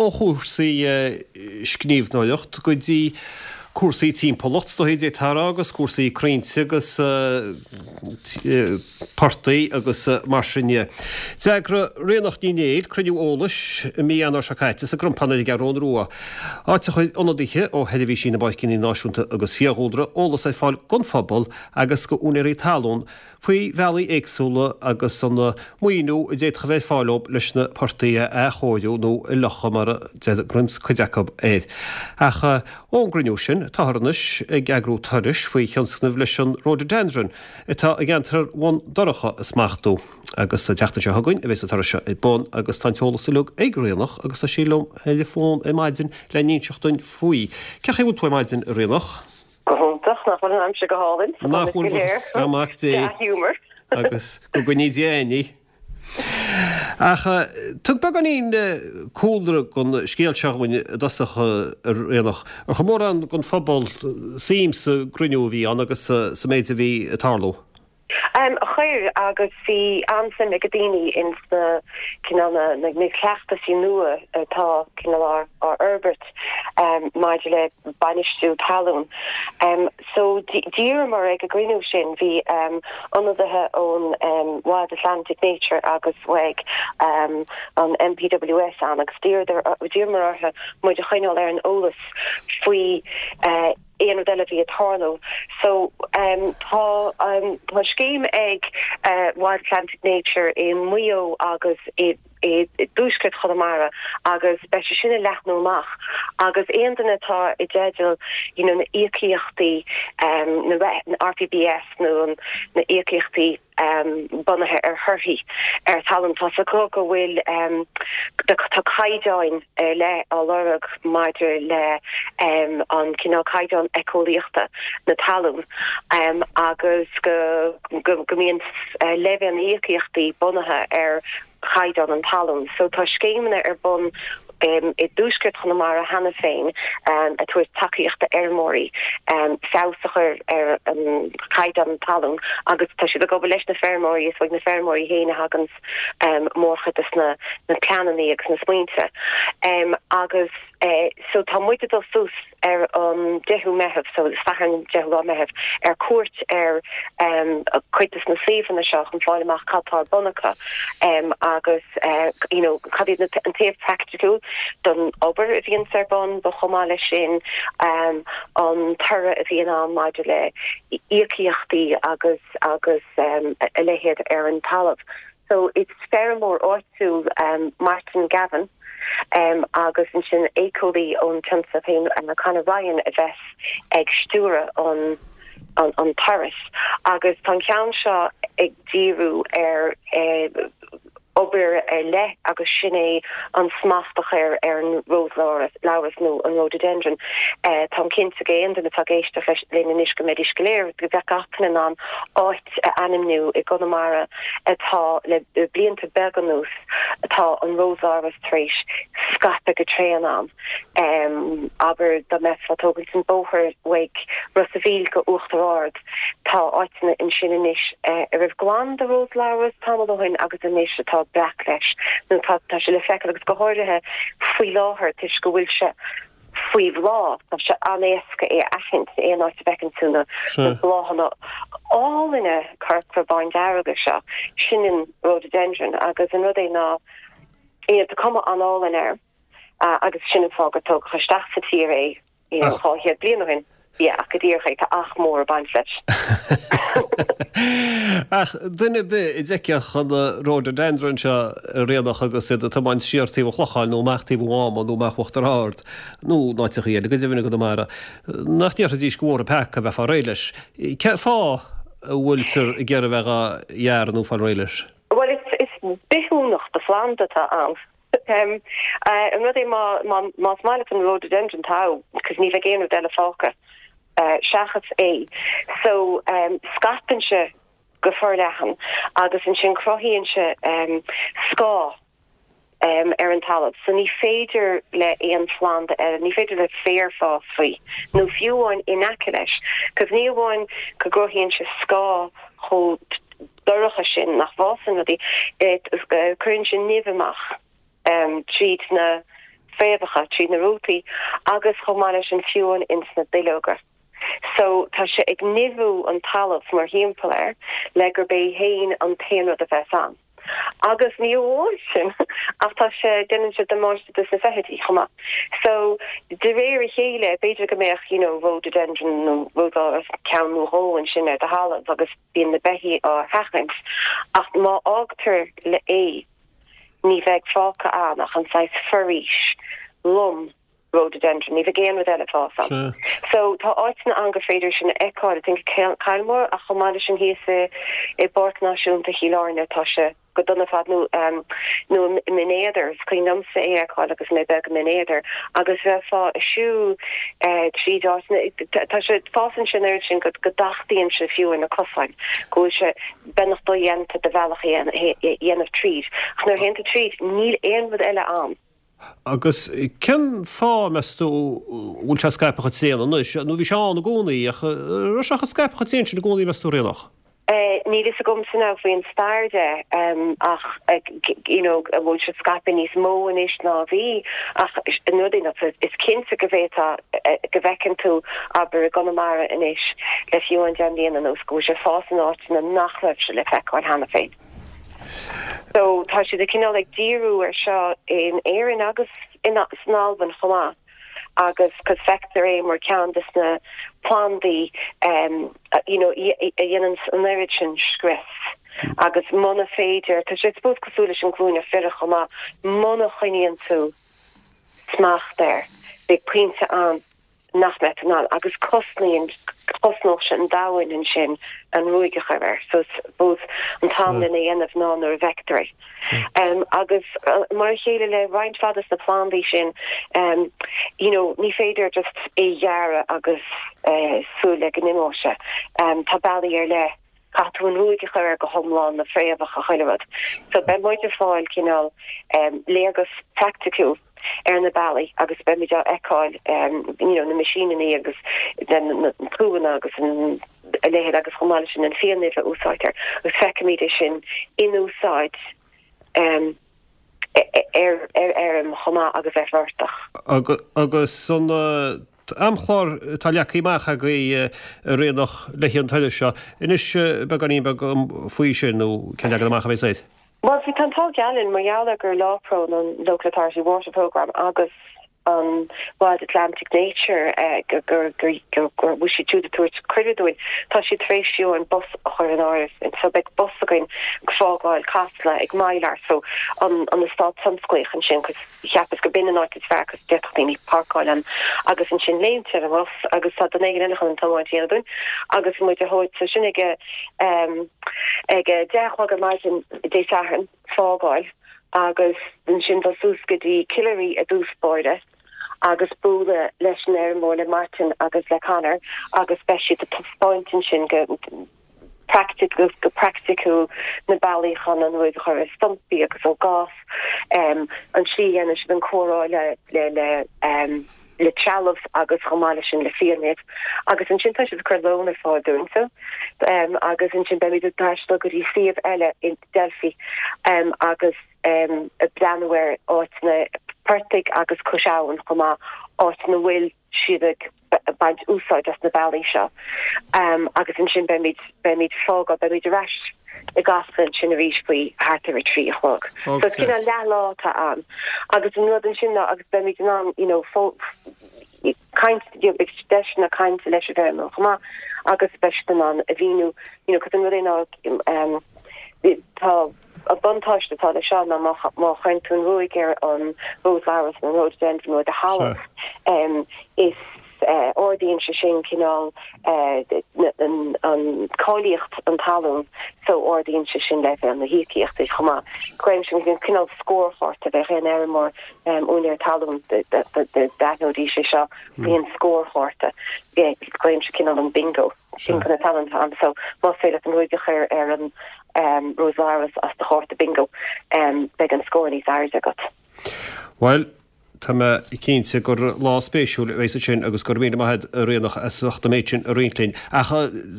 Ó chúrsaí scríbhneoireacht go dtí cúrsaí timpeallacht, is dóichí d'fhéadfá a rá, agus cúrsaí crainnte agus portaigh agus mar sin de. D'eagraigh Ríonach Ní Néill cruinniú eolais i mí Eanáir seo caite sa gCrompán ar an gCeathrún Rua, áit a chuir ionadaithe ó Sheirbhísí na bPáirceanna Náisiúnta agus Fiadhúlra eolas ar fáil don phobal agus do úinéirí talún faoi bhealaí éagsúla agus an maoiniú a d'fhéadfadh a bheith ar fáil dóibh leis na portaigh a athchóiriú nó a fhliuchadh mar a deir cuid acu air. Ach ón gcruinniú sin, táthar anois ag eagrú turais faoi thionscnamh leis an Rhododendron atá i gceantar Bhun Dobhráin a smachtú. Agus an tseachtain seo chugainn a bheas an turas seo ar bun agus tá an t-eolas uilig ag Ríonach agus tá sí liom ar an bhfón ar maidin le n-inseacht dúinn faoi. Cén chaoi a bhfuil tú ar maidin, a Ríonach? Go hiontach, nach bhfuil an aimsir go hálainn? Nach bhfuil, buíochas le Mac Dé. Dea-ghiúmar. Agus go gcoinní Dia againn í. Ach tug beagáinín cúlra don scéal seo dhúinn i dtosach, a Ríonach. Ar chuir mórán den phobal suim sa gcruinniú a bhí ann agus sa méid a bhí ag tarlú? Chuir, agus bhí an-suim ag daoine ins na cineál na na cleachtaisí nua atá cineál á á fhorbairt maidir le bainistiú talún. So d'iarramar ag an gcruinniú sin, bhí ionadaithe ón Wild Atlantic Nature agus uaidh an NPWS ann agus d'iarramar orthu muid a choinneáil ar an eolas faoi aon rud eile a bhí ag tarlú. So tá tá scéim ag Wild Atlantic Nature i Maigh Eo agus i i dtuaisceart Chonamara agus beidh sé sin ag leathnú amach agus aon duine atá i dteideal you know na íocaíochtaí na RPBS nó na íocaíochtaí bunaithe ar thorthaí ar thalamh. Tá 's acu go bhfuil tá caighdeáin ar leith á lorg maidir le an cineál caighdeán éiceolaíochta na talún agus go go mbíonn leibhéal na n-íocaíochtaí bunaithe ar chaighdeán an talún. So tá scéimeanna ar bun i dtuaisceart Chonamara cheana féin ag tabhairt tacaíocht d'fheirmeoirí feabhas a chur ar an chaighdeán an talún agus tá siad ag obair leis na feirmeoirí, is uaidh na feirmeoirí féin a thaganns mórchuid des na pleananna agus na smaointe. Agus so tá muid ag dul suas ar an 10ú Meitheamh, so Satharn 10ú lá Meitheamh, ar cuairt ar cuid des na suíomhanna seo chun fáil amach cad tá ar bun acu agus you know cad iad na an taobh praiticiúil don obair a bhíonns ar bun but chomh maith leis sin an toradh a bhíonn ann maidir le íocaíochtaí agus agus a leithéid ar an talamh. So is feirmeoir áitiúil Martin Gavin agus ansin éiceolaí ón tionscal féin Conor Ryan a bheas ag stiúradh an an turas agus tá an ceann seo ag díriú ar obair ar leith agus sin é an smacht a chur ar an róslabhras nó an rhododendron. Táim cinnte go aon duine atá ag éisteacht leis linn anois go mbeidís go léir, go mbeadh gach duine in ann áit a ainmniú i gConamara atá le blianta beaga anuas atá an róslabhras tar éis scaipeadh go tréan ann. Abair dá mbeifeá ag tógaint an bóthar uaidh Ros a' Mhíl go Uachtar Ard, tá áiteanna ansin anois a raibh glan de róslabhras tamall ó shin agus anois atá breac leis nó tá tá sé le feiceáil agus go háirithe faoi láthair toisc go bhfuil sé faoi bhláth, tá sé an-éasca é a aithint aon áit a bhfeiceann tú na bláthanna álainne corcra bándearga seo, sin an rhododendron agus an rud é ná tá cuma an-álainn air. Agus sin an fáth gur tógadh isteach sa tír é you know 200 bliain ó shin. Yeah, ach go díreach é, tá ach mór ag baint leis. Ach duine ar bith a d'fheicfeadh an rhododendron seo a Ríonach agus iad ag tiomáint siar taobh an Chlocháin nó amach taobh an Mháma nó amach Uachtar Ard nó in áiteachaí eile go deimhin i gConamara, nach ndéarfaidís go bhfuair an peaca a bheith ag fáil réidh leis. Cén fáth a bhfuiltear ag iarraidh a bheith dhá ghearradh nó fáil réidh leis? Bhuel, is bithiúnach de phlanda atá ann. An rud é más maith leat an rhododendron togha, cos ní bheidh aon rud eile fágtha seachas é. So scaipeann sé go forleathan agus ansin cruthaíonn sé scáth ar an talamh. So ní féidir le aon phlanda eile, ní féidir le féar fás faoi nó fiú amháin in aice leis. Cos ní amháin go gcruthaíonn sé scáth chomh dorcha sin nach bhfásann rudaí, cuireann sé nimh amach tríd na. fréamhacha, tríd na rútaí agus chomh maith leis an fiuchán ins na duilleoga. So tá sé ag nimhiú an talamh mar thimpeall air le gurb é féin an t-aon rud a bheas ann. Agus ní amháin sin ach tá sé, déanann sé damáiste dos na feithidí chomh maith. So de réir a chéile b'fhéidir go mbeadh you know rhododendron nó rose ceann nó dhó ansin ar do thalamh agus bíonn na beithígh á sheachaint ach má fhágtar le é ní bheidh fágtha ann ach an saghas foraois lom rhododendron, ní bheidh aon rud eile ag fás ann. So tá áiteanna ann gur féidir sin a fheiceáil, I think Kylemore ach chomh maith leis sin thíos i i bPáirc Náisiúnta Chill Airne tá sé go dona ar fad nó nó i mBinn Éadair, is cuimhin liomsa é a fheiceáil agus mé beag i mBinn Éadair agus bheifeá ag siúl tríd áiteanna, tá sé, fásann sé an oiread sin go go dtachtaíonn sé fiú ar na cosáin, go bhfuil sé beagnach dodhéanta do bhealach a dhéanamh tríd. Ach nuair a théann tú tríd níl aon rud eile ann. Agus cén fáth, meas tú, a bhfuil sé scaipthe chomh tréan anois? Nó bhí sé ann i gcónaí, ach an raibh sé chomh scaipthe chomh tréan sin i gcónaí, meas tú, Ríonach? Níl fhios agamsa now faoin stair de ach you know an bhfuil sé scaipthe níos mó anois ná a bhí ach an rud é ná is cinnte go bhféadfá go bhfeiceann tú abair i gConamara anois le fiú amháin 10 mbliana anuas go bhfuil sé ag fás in áiteanna nach raibh sé le feiceáil cheana féin. So tá siad ag cineál ag díriú ar seo in Éirinn agus in san Albain chomh maith agus cos feictear é mar ceann des na plandaí um, you know, a dhéanann an oiread sin scrios agus muna féidir, tá sé suppose cosúil leis an gcluaineach bhiorach chomh maith, muna choinníonn tú smacht air, beidh pointe ann nach mbeidh tú in ann, agus cosnaíonn, chosnódh sé an domhain ansin an ruaig a chur air. So suppose an t-am lena dhéanamh ná nuair a bhfeictear é. Agus mar a chéile le roinnt mhaith des na plandaí sin, you know, ní féidir just é a ghearradh agus súil le go n-imeoidh sé. Tá bealaí ar leith. Caithfidh tú an ruaig a chur air go hiomlán, na fréamhacha, chuile rud. So beidh muid ag fáil cineál léargas praiticiúil ar na bealaí agus beimid á fheiceáil you know na meaisíneanna agus na tuanna agus an a leithéid agus chomh maith leis sin an fiannimh a úsáidtear agus feicfimid é sin in úsáid ar fheirm chomh maith agus ar phortach. Agus an t-amchlár atá leagtha amach agaibh a Ríonach le haghaidh an turais seo, inis beagáinín beag faoi sin nó cén leagan amach a bheas air? Bhuel, tá an t-ádh geal linn mar gheall ar gur LAWPRO, an Local Authority Water Programme, agus an Wild Atlantic Nature go bhfuil siad siúd ag tabhairt cuireadh dúinn. Tá siad tar éis fiú an bus a chur in áirithe. So beidh bus againn ag fágáil Casla ag Mylar, so an eastát tionsclaíoch ansin, cos cheapas go b'in an áit is fearr cos d'fhéadfadh daoine páirceáil ann agus ansin léimt ar an bhus agus tá duine éigin eile chun an tiomáint a dhéanamh dúinn agus muid a thabhairt. So sin ag ag a 10 a chlog ar maidin Dé Sathairn. fágáil agus ansin dul suas go dtí Killary i dtús báire agus bualadh leis an fheirmeoir, le Martin agus le Conor agus beidh siad ag taispeáint ansin go go praiticiúil na bealaí chun an ruaig a chur ar stumpaí agus an gás, an tslí a dhéanann siad an cóireáil le le le trealamh agus chomh maith leis sin le fiannimh agus ansin tá siad ag cur lón ar fáil dúinn so agus ansin beimid ag taisteal go dtí suíomh eile i Delphi agus ag breathnú ar áiteanna portaigh agus cois abhann chomh maith, áit ina bhfuil siad ag baint úsáid as na bealaí seo agus ansin beimid beimid fágáil beimid ar ais i gCasla ansin arís faoi thart ar a 3 a chlog. So is cineál leathlá atá ann. Agus an rud ansin ná agus beimid in ann you know caint you know beidh deiseanna cainte leis an bhfeirmeoir chomh maith agus beidh siad in ann a mhíniú you know cos an rud é ná um, tá an buntáiste atá leis seo ná má má chuireann tú an ruaig ar an rose laurels nó an rhododendron ar do thalamh um, is ardaíonn sé sin cineál an cáilíocht an talún so ardaíonn sé sin leibhéal na híocaíochta chomh maith. Glaoim sin cineál scórchárta bheadh aon fheirmeoir úinéir talún d'aithneoidís é seo faoin scórchárta. Glaoim sin cineál an bingo. Bingo na talún atá ann so más féidir leat an ruaig a chur ar an rose laurels as do chárta bingo beidh an scór níos airde agat. Bhuel. Tá mé cinnte gur lá spéisiúil a bheas ansin agus go raibh míle maith agat a Ríonach as ucht an méid sin a roinnt linn. Ach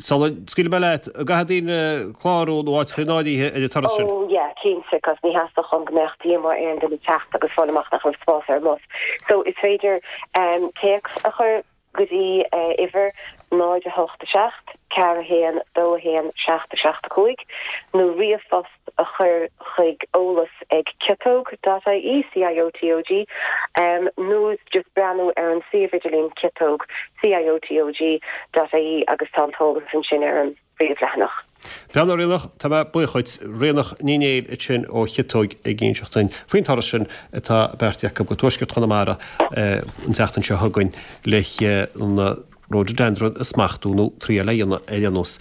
sula scaoilfidh mé leat, an gcaithfidh daoine clárú nó áit a chur in áirithe ar an turas sin? Oh yeah, cinnte, cos ní theastódh uaim go mbeadh díomá ar aon duine teacht agus fáil amach nach raibh spás ar an mbus. So is féidir téacs a chur go dtí uimhir 0 8 7 4 1 2 1 7 7 5 nó ríomhphost a chur chuig eolas ag ciotog dot ie, C-I-O-T-O-G, nó just breathnú ar an suíomh idirlín ciotog, C-I-O-T-O-G, dot ie agus tá an t-eolas ansin ar an bpríomhleathanach. Bhuel a Ríonach, tá mé buíoch dhuit. Ríonach Ní Néill ansin ó Chiotóig ag inseacht dúinn faoin turas sin atá beartaithe acu go tuaisceart Chonamara an tseachtain seo chugainn le na Rhododendron a smachtú nó triail a dhéanamh ar aon nós.